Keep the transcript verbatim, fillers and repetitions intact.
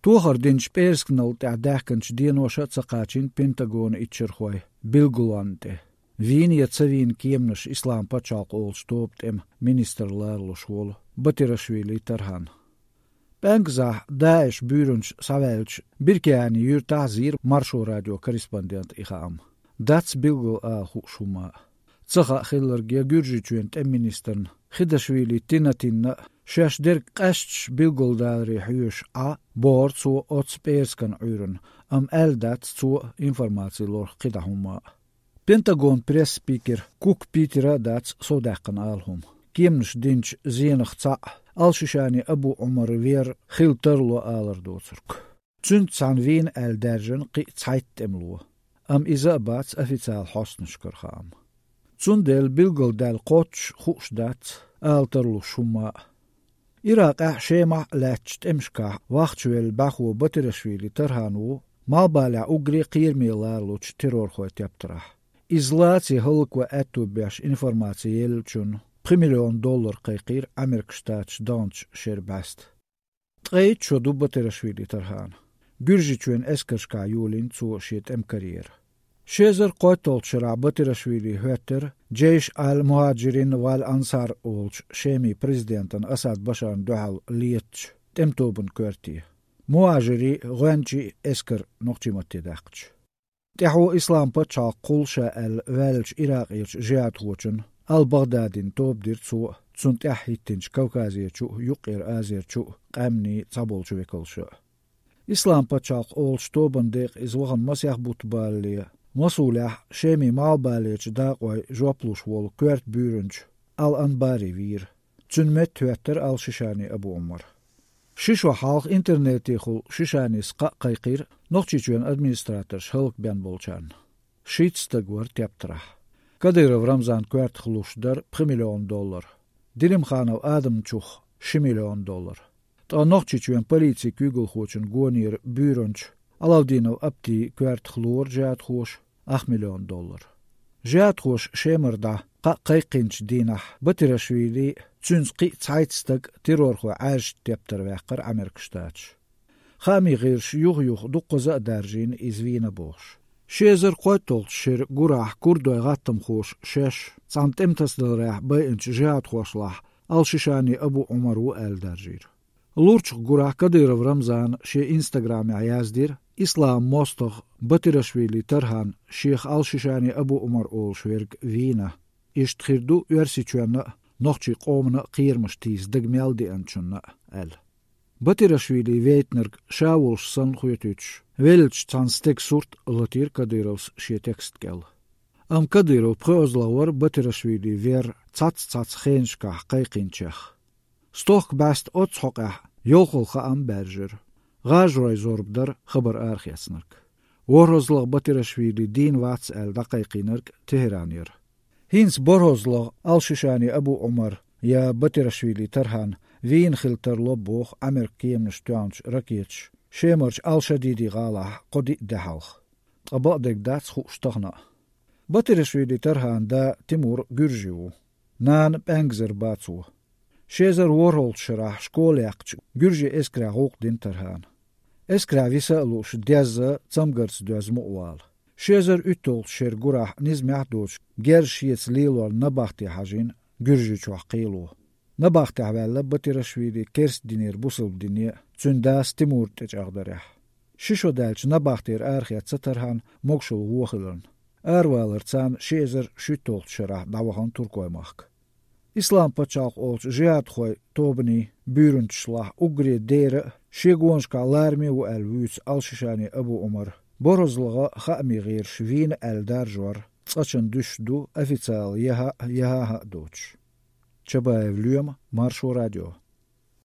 Tuohardinch persknal tää dähkänch dienoša caqaachin Pentagon itcherhoi bilgulante. Viin ja tsaviin kiemnus islam pačalq olstoopt em minister laarlushuol Batirashvili tarhan. Pängzah Daesh byrunch savelch birkeani yur tahzir marsho radio korrespondent ihaam. Dats bilgul a hushuma. Tsaqa khillergia gürjichuent em ministern Khidashvili tinatinna Shesh der qashch bilgul dalri huyush a boord zu ots perskan uren am eldat zu informatie lor qidahuma. Pentagon press speaker Cook Peter dats sodaqan alhum. Kiemnus dinch zienach tsa alshishani Abu Umar weer khilterlo alardotsurk. Tsunt san wien el dergen qi zeit emlo. Am iza bats official hosnishkarham. Tsundel bilgul dal qoch khusdat alterlo shuma. Irak ah shema latcht emshka wachtuel bahu Batirashvili tarhanu malbala ugri qirmi larluch terror khoet yaptrah. Izlatie hulkwa atubiash informatieel chun miljoen dollar qeqir Amerikstaats danch sherbast. Treit shodu Batirashvili tarhan. Gürjichuen eskerska julin zu shit em karrier. Shezer qotol shra Batirashvili hötter Jeish al-Muhajirin wal Ansar olch shemi presidentan Asad Bashan duhal lietch temtoben körti. Muhajiri gwanchi esker nochchimatti daqch. Tehu islam pacha qulsha al-Welch Iraqich jihad hochen al-Baghdadin tobdir zu tsunt ahittinch Kaukaziechu yuqir azirchu qamni tabolchu vekolsha. Islam pacha olch toben deq izwahan masyah butballi Mosulah shemi malbalech daqwai joplush wol kwert burunch al-Anbari vir. Tsun met Twitter al-Shishani Abu Umar. Shishwa halq internetikhul Shishani sqa qayqir noqchichuen administrator shulk ben bolchan. Shitstagwar teptrah. Kadyrov Ramzan kwert khlushdar miljoen dollar. Dilim Khanov Adam Chukh miljoen dollar. Ta noqchichuen politie kugel khochen gonir burunch Alaudinov abti kwert khloor jat khosh acht miljoen dollar. Jat khosh shemerda qa qayqinch dinah Batirashvili tsunski zeitstag terror kho ash tepter waqar Amerikstaats. Khami gher shuyugh yugh duqza darjin izvina bosh. Shezer qotol shir gurah kurdoy gatam khosh shesh santem tasdalrah bayinch jat khoshlah al-Shishani Abu Umar wa al-Darjir. Lurch gurah Kadyrov Ramzan she Instagram yazdir Islam mostog Batirashvili tarhan Sheikh al-Shishani Abu Umar ol shwerg Wiener ist khirdu versichuna nochchi qomna qirmish tiz degmeldi anchuna al. Batirashvili veitner shawulsh san khuytuch welch tsanstek surt latir Kadyrovs she tekst gel. Am Kadyrov prozlawar Batirashvili ver tsats tsats khenshka qayqinchach. Stok bast otshoqa yolkhulqa am berger. Gajroy zorbdar khabar arkhyatsnark. Worozlog Batirashvili din wats el daqiqinark Teheranir. Hins borozlog al-Shishani Abu Umar ya Batirashvili tarhan wien khilter lobokh Amerikiem stuanch rakich shemarch al-Shadidi gala qodi dahalkh. Qabadek dats khustagna. Batirashvili tarhan da Timur Gürjiu. Nan bangzer batsu. Shezer worhold shrah shkolyaqch Gürji eskra huq din tarhan. Eskra visalush dezza tsamgars dezmuwal. Shezer utol sher gurah nizmahduch gershiyets lilwal nabahti hajin Gürji chwaqilu. Nabahti avalla Batirashvili kers dinir busul dinia tsundas Timur tejagdarah. Shisho dalch nabahtir arkhiyat satarhan mogshul wokhilun. Arwaler tsan shezer shutol shrah dawahan turkoymak. Islam pačalq olch jihad khoy tobni burunchlah ugri dere shegonshka larmi u al-Wuts al-Shishani Abu Umar borozlaga khami gher shvin al-Darjwar tsachan dushdu official yaha yaha doch. Chabaev Lyum Marsho Radio.